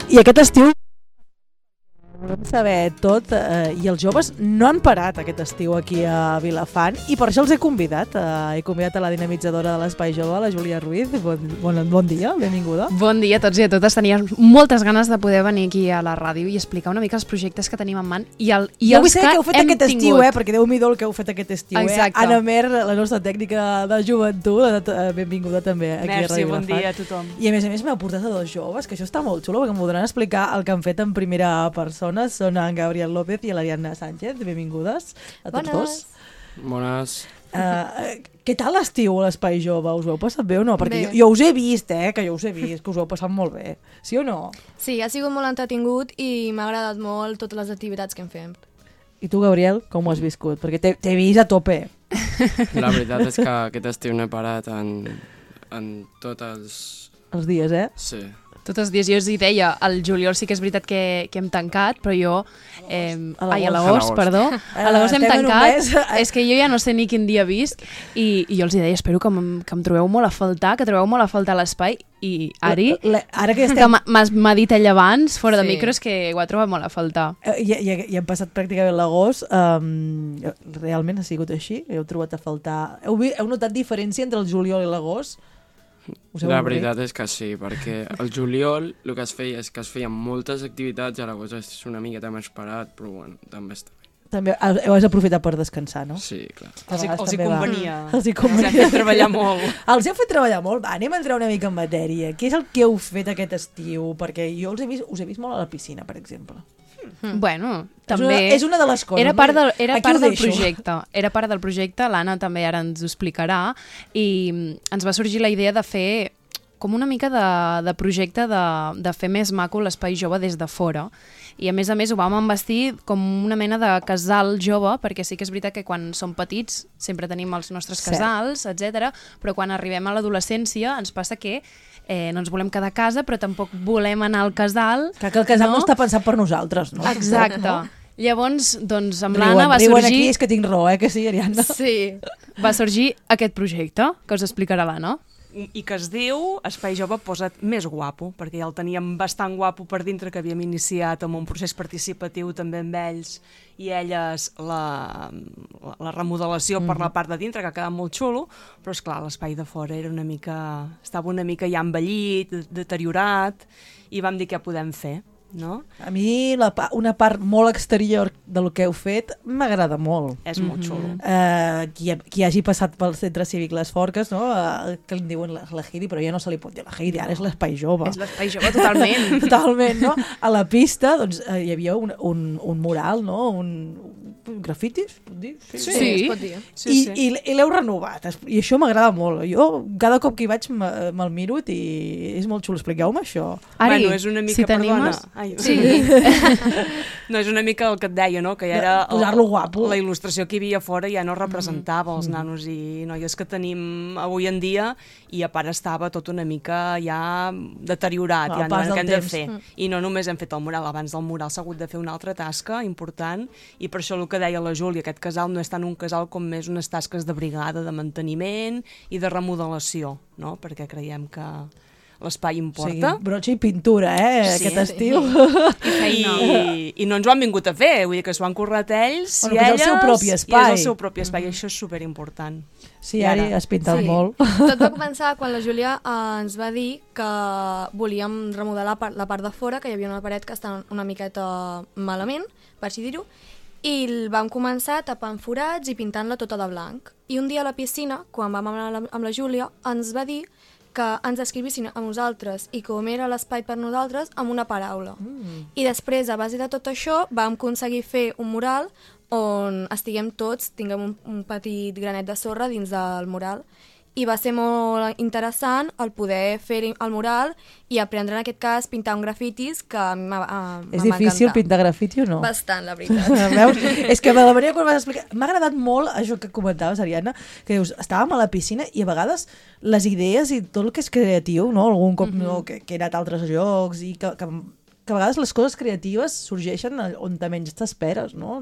I aquest estiu volem saber tot i els joves no han parat aquest estiu aquí a Vilafant i per això els he convidat a la dinamitzadora de l'Espai Jove, la Júlia Ruiz. Bon dia, benvinguda. Bon dia a tots i a totes. Tenia moltes ganes de poder venir aquí a la ràdio i explicar una mica els projectes que tenim en man i els que hem tingut. Jo vull saber què heu fet aquest estiu, perquè Déu-m'hi-do el que heu fet aquest estiu. Anna Mer, la nostra tècnica de joventut, benvinguda també aquí a Ràdio Vilafant. Bon dia a tothom. I a més m'heu portat a dos joves, que això està molt xulo, perquè em podran explicar el que han fet en primera persona. Són en Gabriel López i l'Ariadna Sánchez. Benvingudes a tots dos. Bones. Què tal l'estiu a l'Espai Jove? Us ho heu passat bé o no? Perquè jo us he vist, que us heu passat molt bé. Sí o no? Sí, ha sigut molt entretingut i m'ha agradat molt totes les activitats que hem fet. I tu, Gabriel, com ho has viscut? Perquè t'he vist a tope. La veritat és que aquest estiu no he parat en tots els dies, Sí. Tots els dies. Jo us hi deia, el juliol sí que és veritat que hem tancat, però jo... a l'agost, perdó. A l'agost hem tancat. És que jo ja no sé ni quin dia visc i jo els hi deia, espero que em trobeu molt a faltar, que trobeu molt a faltar l'espai. I Ari, que m'ha dit ella abans, fora de micros, que ho ha trobat molt a faltar. I hem passat pràcticament l'agost. Realment ha sigut així? Heu trobat a faltar? Heu notat diferència entre el juliol i l'agost? La veritat és que sí, perquè el juliol el que es feia és que es feien moltes activitats, a l'agost és una miqueta més parat, però bueno, també està bé. També heu aprofitat per descansar, no? Sí, clar. Els hi convenia. Els hem fet treballar molt. Els heu fet treballar molt? Va, anem a entrar una mica en matèria. Què és el que heu fet aquest estiu? Perquè jo us he vist molt a la piscina, per exemple. Bueno, també... És una de les coses. Era part del projecte. Era part del projecte, l'Anna també ara ens ho explicarà, i ens va sorgir la idea de fer com una mica de projecte de fer més maco l'Espai Jove des de fora. I a més ho vam embestir com una mena de casal jove, perquè sí que és veritat que quan som petits sempre tenim els nostres casals, etc. Però quan arribem a l'adolescència ens passa que no ens volem quedar a casa, però tampoc volem anar al casal. Que el casal no està pensat per nosaltres, no? Exacte. No? Llavors, doncs, amb l'Anna va sorgir... Riuen aquí, és que tinc raó, que sí, Ariadna? Sí. Va sorgir aquest projecte, que us explicarà l'Anna. I que es diu Espai Jove Posa't Més Guapo, perquè ja el teníem bastant guapo per dintre, que havíem iniciat amb un procés participatiu també amb ells i elles la remodelació per la part de dintre, que ha quedat molt xulo, però esclar, l'espai de fora estava una mica ja envellit, deteriorat, i vam dir què podem fer. No? A mi una part molt exterior del que heu fet m'agrada molt. És molt xulo. Qui hagi passat pel centre cívic Les Forques, no? Que li diuen la Heidi, però ja no se li pot dir la Heidi, ara és l'Espai Jove. És l'Espai Jove totalment. Totalment, no? A la pista doncs, hi havia un mural, no? Un grafiti, es pot dir? Sí, es pot dir. I l'heu renovat, i això m'agrada molt. Jo cada cop que hi vaig me'l miro i és molt xulo. Expliqueu-me això. Ari, és una mica, si t'animes... Sí. No, és una mica el que et deia, no? Que ja era posar-lo guapo. La il·lustració que hi havia fora ja no representava els nanos i noies que tenim avui en dia, i a part estava tot una mica ja deteriorat, ja no què hem de fer. I no només hem fet el mural, abans del mural s'ha hagut de fer una altra tasca important, i per això el que deia la Júlia, aquest casal no és tant un casal com més unes tasques de brigada, de manteniment i de remodelació, no? Perquè creiem que l'espai importa. Sí, brotxa i pintura, aquest estiu. I no ens ho han vingut a fer, vull dir que s'ho han currat ells i elles, és el seu propi espai. I és el seu propi espai, i això és superimportant. Sí, Ari, has pintat molt. Tot va començar quan la Júlia ens va dir que volíem remodelar la part de fora, que hi havia una paret que estava una miqueta malament, per així dir-ho, i vam començar tapant forats i pintant-la tota de blanc. I un dia a la piscina, quan vam anar amb la Júlia, ens va dir que ens escrivissin a nosaltres i com era l'espai per nosaltres amb una paraula. I després, a base de tot això, vam aconseguir fer un mural on estiguem tots, tinguem un petit granet de sorra dins del mural. I va ser molt interessant el poder fer el mural i aprendre, en aquest cas, pintar un grafitis, que a mi m'ha encantat. És difícil pintar grafiti o no? Bastant, la veritat. Veus? És que de la manera quan vas explicar... M'ha agradat molt això que comentaves, Ariadna, que dius, estàvem a la piscina i a vegades les idees i tot el que és creatiu, no? Algun cop que he anat a altres llocs i que a vegades les coses creatives sorgeixen on menys t'esperes, no?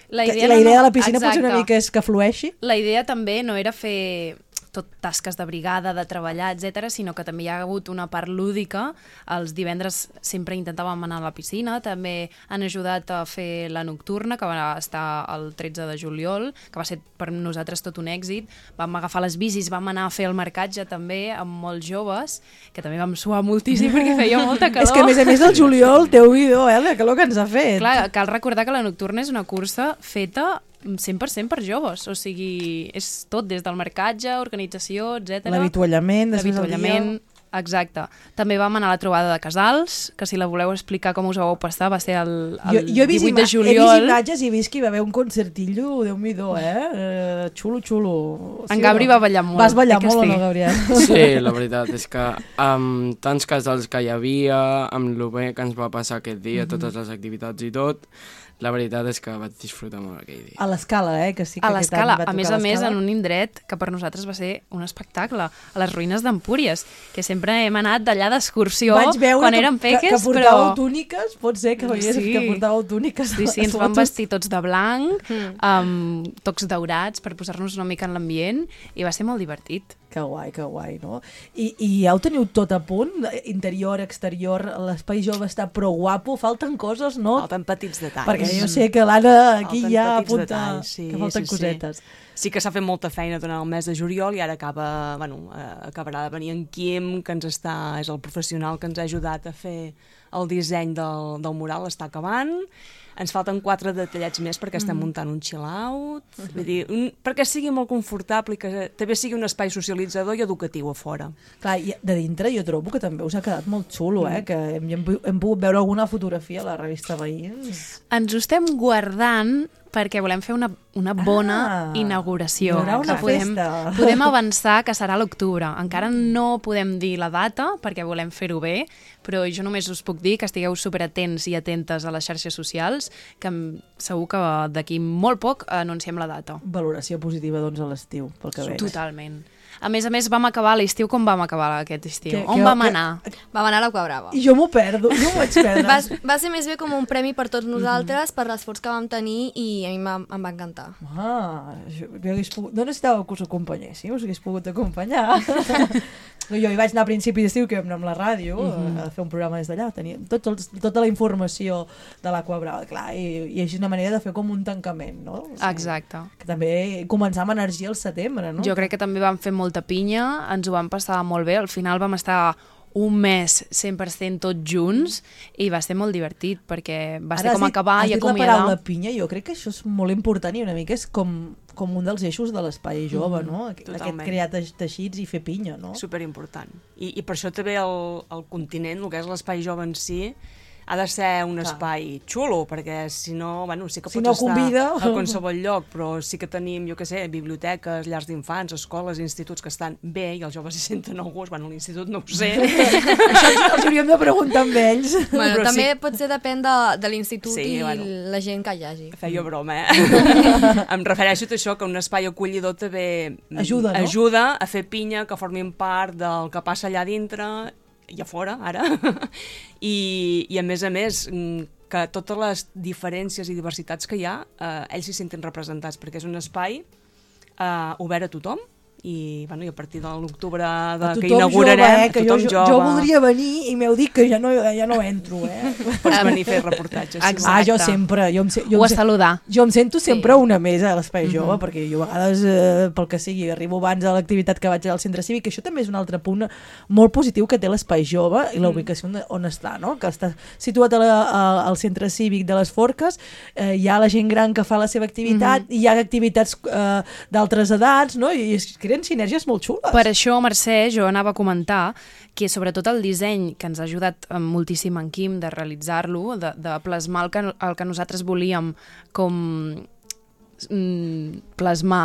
La idea de la piscina potser una mica és que flueixi. La idea també no era fer tot tasques de brigada, de treballar, etc, sinó que també hi ha hagut una part lúdica. Els divendres sempre intentàvem anar a la piscina, també han ajudat a fer la nocturna, que va estar el 13 de juliol, que va ser per nosaltres tot un èxit. Vam agafar les bicis, vam anar a fer el marcatge també amb molts joves, que també vam suar moltíssim perquè feia molta calor. És que a més del juliol, Déu-n'hi-do, la calor que ens ha fet. Clar, cal recordar que la nocturna és una cursa feta 100% per joves, o sigui, és tot des del marcatge, organització, etc. L'avituallament, exacte. També vam anar a la trobada de casals, que si la voleu explicar com us ho vau passar, va ser el 18 de juliol. He vist imatges i he vist que hi va haver un concertillo, Déu-n'hi-do, xulo. En Gabri va ballar molt. Vas ballar molt o no, Gabriel? Sí, la veritat és que amb tants casals que hi havia, amb el bé que ens va passar aquest dia, totes les activitats i tot, la veritat és que vaig disfrutar molt aquell dia. A l'Escala, que sí que a l'Escala, a més en un indret que per nosaltres va ser un espectacle, a les ruïnes d'Empúries, que sempre hem anat d'allà d'excursió quan érem peques, que portàveu túniques, pot ser que veiés que portàveu túniques. Sí, ens vam vestir tots de blanc, amb tocs daurats per posar-nos una mica en l'ambient, i va ser molt divertit. Que guai, no? I ja ho teniu tot a punt? Interior, exterior, l'espai jove està prou guapo, falten coses, no? Falten petits detalls. Perquè jo sé que l'Anna aquí ja apunta que falten cosetes. Sí que s'ha fet molta feina durant el mes de juliol i ara acabarà de venir en Quim, que és el professional que ens ha ajudat a fer el disseny del mural, està acabant. Ens falten 4 detallets més perquè estem muntant un chill-out, vull dir, perquè sigui molt confortable i que també sigui un espai socialitzador i educatiu a fora. Clar, i de dintre jo trobo que també us ha quedat molt xulo, que hem pogut veure alguna fotografia a la revista Veïns. Ens ho estem guardant perquè volem fer una bona inauguració. Hi haurà una festa. Podem avançar que serà a l'octubre. Encara no podem dir la data perquè volem fer-ho bé, però jo només us puc dir que estigueu superatents i atentes a les xarxes socials, que segur que d'aquí molt poc anunciem la data. Valoració positiva, doncs, a l'estiu, pel que veig. Totalment. A més, vam acabar l'estiu com vam acabar aquest estiu. On vam anar? Vam anar a l'Aquà Brava. I jo m'ho perdo, jo m'ho vaig perdre. Va ser més bé com un premi per tots nosaltres, per l'esforç que vam tenir, i a mi em va encantar. No necessitàveu que us acompanyéssim, us hagués pogut acompanyar. Jo hi vaig anar a principi d'estiu, que vam anar amb la ràdio a fer un programa des d'allà, teníem tota la informació de l'Aquà Brava, clar, i és una manera de fer com un tancament, no? Exacte. Que també començar amb energia al setembre, no? Jo crec que també vam fer molta pinya, ens ho vam passar molt bé, al final vam estar un mes 100% tots junts i va ser molt divertit perquè va ser com acabar i acomiadar. Has dit la paraula pinya, jo crec que això és molt important i una mica és com un dels eixos de l'espai jove, no? Aquest crear teixits i fer pinya, no? Superimportant. I per això també el continent, el que és l'espai jove en si, ha de ser un espai xulo, perquè si no, sí que pots estar a qualsevol lloc, però sí que tenim, jo què sé, biblioteques, llars d'infants, escoles, instituts que estan bé i els joves s'hi senten a gust. L'institut no ho sé. Això els hauríem de preguntar amb ells. També potser depèn de l'institut i la gent que hi hagi. Feia broma, Em refereixo a això, que un espai acollidor també ajuda a fer pinya, que formin part del que passa allà dintre i a fora, ara, i a més, que totes les diferències i diversitats que hi ha, ells s'hi senten representats, perquè és un espai obert a tothom, i a partir de l'octubre que inaugurarem, tothom jove. Jo voldria venir i m'heu dit que ja no entro, Pots venir a fer reportatges. Jo sempre. Ho a saludar. Jo em sento sempre una mesa a l'espai jove, perquè jo a vegades, pel que sigui, arribo abans a l'activitat que vaig al centre cívic, que això també és un altre punt molt positiu que té l'espai jove i la ubicació on està, no? Que està situat al centre cívic de les Forques, hi ha la gent gran que fa la seva activitat, hi ha activitats d'altres edats, no? I creen sinergies molt xules. Per això, Mercè, jo anava a comentar que sobretot el disseny, que ens ha ajudat moltíssim en Quim de realitzar-lo, de plasmar el que nosaltres volíem com plasmar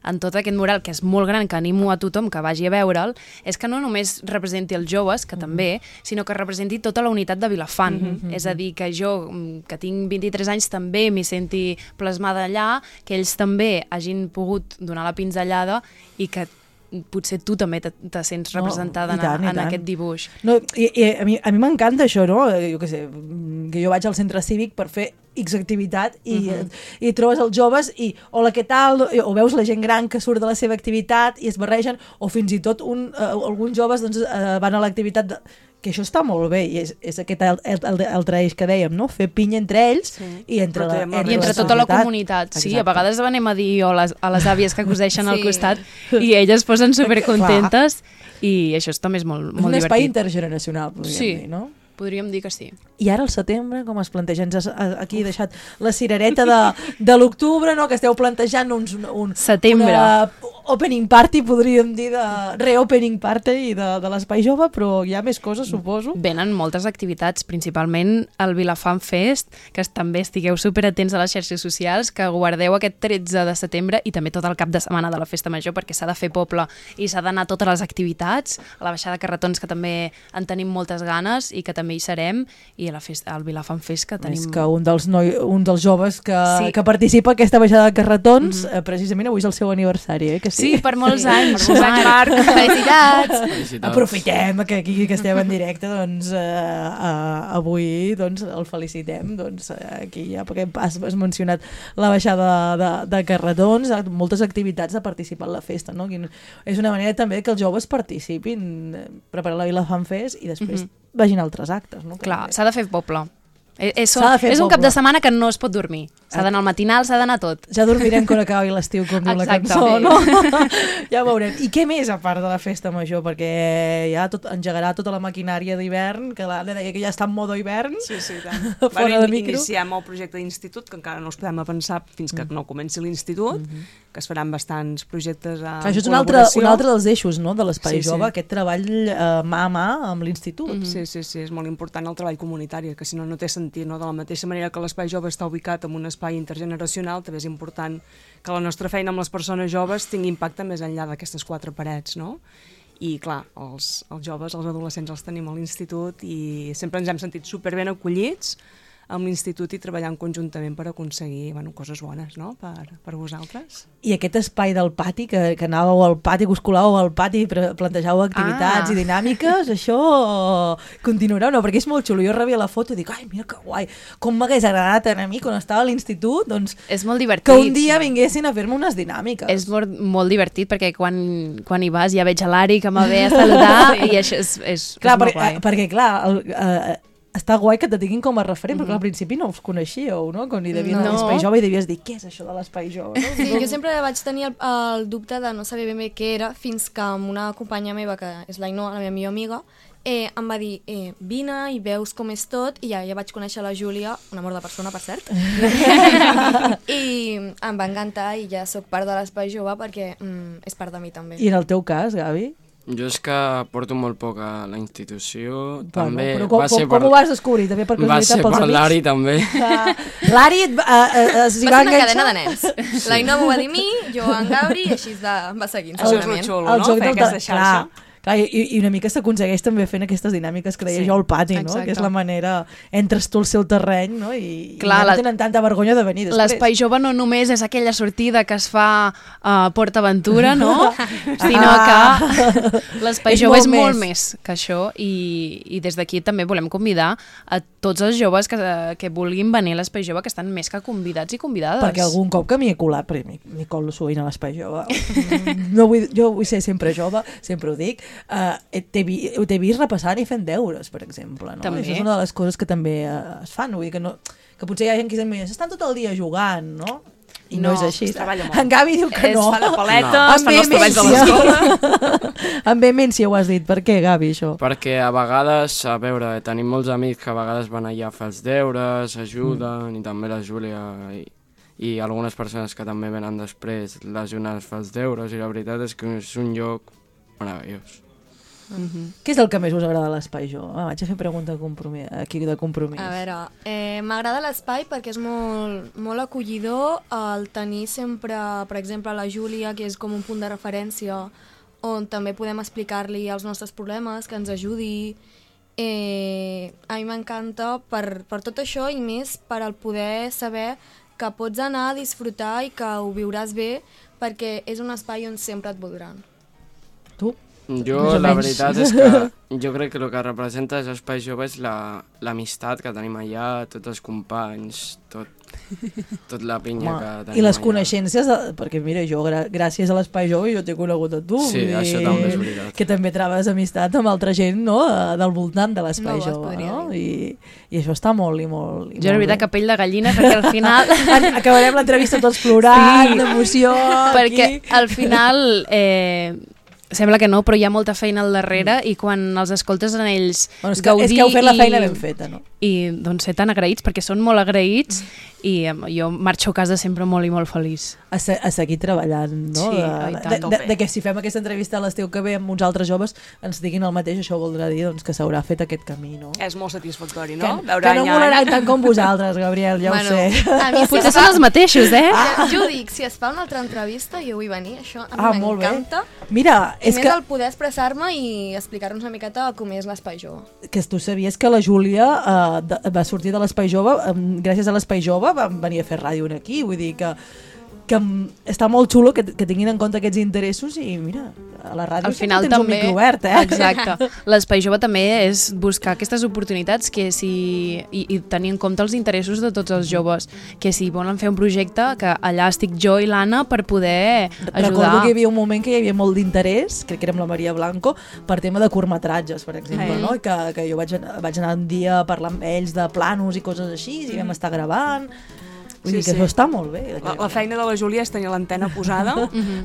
en tot aquest mural, que és molt gran, que animo a tothom que vagi a veure'l, és que no només representi els joves, que també, sinó que representi tota la unitat de Vilafant. És a dir, que jo, que tinc 23 anys, també m'hi senti plasmada allà, que ells també hagin pogut donar la pinzellada i que potser tu també te sents representada en aquest dibuix. No, i a mi m'encanta això, no? Jo què sé, que jo vaig al centre cívic per fer X activitat i trobes els joves i hola, què tal? O veus la gent gran que surt de la seva activitat i es barregen, o fins i tot alguns joves doncs, van a l'activitat que això està molt bé, i és aquest altre eix que dèiem, no? Fer pinya entre ells i entre tota la comunitat. Sí, a vegades anem a dir a les àvies que coseixen al costat i elles es posen supercontentes i això també és molt divertit. Un espai intergeneracional, podríem dir, no? Podríem dir que sí. I ara al setembre, com es planteja? Ens aquí he deixat la cirereta de l'octubre, no? Que esteu plantejant setembre. Opening party, podríem dir, de reopening party de l'Espai Jove, però hi ha més coses, suposo. Venen moltes activitats, principalment el Vilafant Fest, que també estigueu superatents a les xarxes socials, que guardeu aquest 13 de setembre i també tot el cap de setmana de la Festa Major, perquè s'ha de fer poble i s'ha d'anar a totes les activitats, a la baixada de carretons, que també en tenim moltes ganes i que també hi serem, i a la festa, al Vilafant Fest, que tenim... És que un dels joves que participa a aquesta baixada de carretons, precisament avui és el seu aniversari, eh? Que sí, per molts anys. Marc. Felicitats. Aprofitem que aquí que estem en directe, doncs avui doncs, el felicitem, doncs aquí ja, perquè has mencionat la baixada de carretons, moltes activitats de participar en la festa, no? És una manera també que els joves participin, preparar la Vilafant Fest i després vagin a altres actes, no? Clar, s'ha de fer poble. És un cap de setmana que no es pot dormir. S'ha d'anar al matinal, s'ha d'anar tot. Ja dormirem quan acabi l'estiu, com diu la cançó, no? Ja ho veurem. I què més a part de la festa major? Perquè ja engegarà tota la maquinària d'hivern, que l'Anna deia que ja està en modo hivern. Sí, tant. Fora de micro. Iniciem el projecte d'institut, que encara no els podem pensar fins que no comenci l'institut, que es faran bastants projectes a això és un altre dels eixos, no?, de l'Espai Jove, aquest treball mà a mà amb l'institut. Sí, és molt important el treball comunitari, que si no, no té sentit, no? De la mateixa manera que l'Espai Jove està ubicat en un espai intergeneracional, també és important que la nostra feina amb les persones joves tingui impacte més enllà d'aquestes 4 parets, no? I clar, els joves, els adolescents els tenim a l'institut i sempre ens hem sentit superben acollits amb l'institut i treballant conjuntament per aconseguir coses bones, no?, per vosaltres. I aquest espai del pati, que anàveu al pati, que us colàveu al pati i plantejàveu activitats i dinàmiques, això continuarà o no? Perquè és molt xulo. Jo rebia la foto i dic, ai, mira que guai, com m'hagués agradat a mi quan estava a l'institut, doncs és molt divertit. Que un dia vinguessin a fer-me unes dinàmiques. És molt divertit perquè quan hi vas ja veig a l'Ari que m'ha ve a saludar i això és molt guai. Perquè clar, està guai que te tinguin com a referent, perquè al principi no us coneixíeu, no? Quan hi devien a l'Espai Jove i devies dir, què és això de l'Espai Jove? No? Sí, jo sempre vaig tenir el dubte de no saber ben bé què era, fins que amb una companya meva, que és l'Ainoa, la meva millor amiga, em va dir, vine i veus com és tot, i ja vaig conèixer la Júlia, un amor de persona, per cert, i em va encantar i ja sóc part de l'Espai Jove perquè és part de mi també. I en el teu cas, Gavi? Jo és que porto molt poc a la institució. També però com ho vas descobrir? També per curiositat pels amics? Va ser per l'Ari, també. L'Ari s'hi va enganxar? Va ser una cadena de nens. L'Aina m'ho va dir a mi, jo en Gauri, i així va seguint. Això és el xulo, no? Fer aquesta xarxa. Clar, i una mica s'aconsegueix també fent aquestes dinàmiques que deia jo al pati, no? Que és la manera, entres tu al seu terreny, no? I no tenen tanta vergonya de venir després. L'Espai Jove no només és aquella sortida que es fa a Port Aventura, no? Sinó que l'Espai Jove és molt més que això i des d'aquí també volem convidar a tots els joves que vulguin venir a l'Espai Jove, que estan més que convidats i convidades. Perquè algun cop que m'hi he colat, perquè m'hi colo sovint a l'Espai Jove. Jo vull ser sempre jove, sempre ho dic. T'he vist repassant i fent deures, per exemple, no? Això és una de les coses que també es fan, vull dir que potser hi ha gent que s'estan tot el dia jugant, no? I no és així. En Gavi diu que no. Es fa la paleta, es fan els treballs de l'escola. Amb vehemència ho has dit. Per què, Gavi, això? Perquè a vegades, a veure, tenim molts amics que a vegades van allà a fer els deures, ajuden, i també la Júlia i algunes persones que també venen després l'ajuden a fer els deures, i la veritat és que és un lloc meravellós. Què és el que més us agrada a l'Espai Jove? Vaig a fer pregunta de compromís. A veure, m'agrada l'espai perquè és molt acollidor el tenir sempre, per exemple, la Júlia, que és com un punt de referència on també podem explicar-li els nostres problemes, que ens ajudi. A mi m'encanta per tot això i més per el poder saber que pots anar a disfrutar i que ho viuràs bé perquè és un espai on sempre et voldran. Tu? Jo, la veritat és que jo crec que el que representa és Espai Jove és l'amistat que tenim allà, tots els companys, tot la pinya que tenim allà. I les coneixences, perquè mira, jo gràcies a l'Espai Jove jo t'he conegut a tu. Sí, això també és veritat. Que també trobes amistat amb altra gent, no?, del voltant de l'Espai Jove, no? I això està molt i molt Jo la veritat que pell de gallina, perquè al final... Acabarem l'entrevista tots plorant, d'emoció... Perquè al final... Sembla que no, però hi ha molta feina al darrere i quan els escoltes en ells gaudir... És que heu fet la feina ben feta, no? I doncs ser tan agraïts, perquè són molt agraïts i jo marxo a casa sempre molt i molt feliç. A seguir treballant, no? Sí, de que si fem aquesta entrevista a l'estiu que ve amb uns altres joves ens diguin el mateix, això voldrà dir doncs, que s'haurà fet aquest camí, no? És molt satisfactori, no? Que no molaran tant com vosaltres, Gabriel, ja ho sé. A mi potser són els mateixos, Jo ho dic, si es fa una altra entrevista jo vull venir, això a mi m'encanta. Mira, és que... el poder expressar-me i explicar-nos una miqueta com és l'Espai Jove. Que tu sabies que la Júlia va sortir de l'Espai Jove, gràcies a l'Espai Jove vam venir a fer ràdio aquí, vull dir que està molt xulo que tinguin en compte aquests interessos i mira, a la ràdio al final tens també, un micro obert, Exacte. L'Espai Jove també és buscar aquestes oportunitats i tenir en compte els interessos de tots els joves, que si volen fer un projecte, que allà estic jo i l'Anna per poder ajudar. Recordo que hi havia un moment que hi havia molt d'interès, crec que era amb la Maria Blanco, per tema de curtmetratges, per exemple, no? Que jo vaig anar un dia a parlar amb ells de planos i coses així, i vam estar gravant. Vull dir que això està molt bé. La feina de la Júlia és tenir l'antena posada.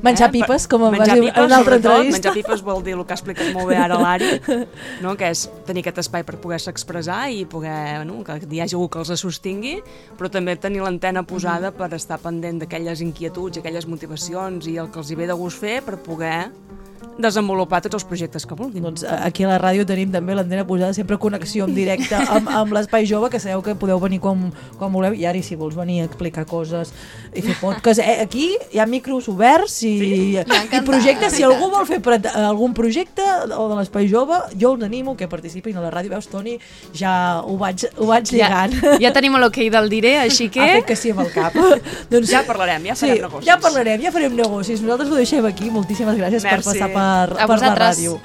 Menjar pipes, com em vas dir en una altra entrevista. Menjar pipes vol dir el que ha explicat molt bé ara l'Ari, no? Que és tenir aquest espai per poder-se expressar i poder, que hi hagi algú que els sostingui, però també tenir l'antena posada per estar pendent d'aquelles inquietuds, aquelles motivacions i el que els hi ve de gust fer per poder desenvolupar tots els projectes que vulguin. Doncs aquí a la ràdio tenim també l'antena posada, sempre connexió en directe amb l'Espai Jove, que sabeu que podeu venir quan voleu, i ara si vols venir a explicar coses i fer podcast, aquí hi ha micros oberts i projectes, si algú vol fer algun projecte o de l'Espai Jove, jo us animo que participin a la ràdio. Veus, Toni, ja ho vaig lligant. Ja tenim l'ok del diré, així que... Ha fet que sí amb el cap. Doncs ja parlarem, ja farem negocis. Ja parlarem, ja farem negocis. Nosaltres ho deixem aquí. Moltíssimes gràcies per passar per la ràdio.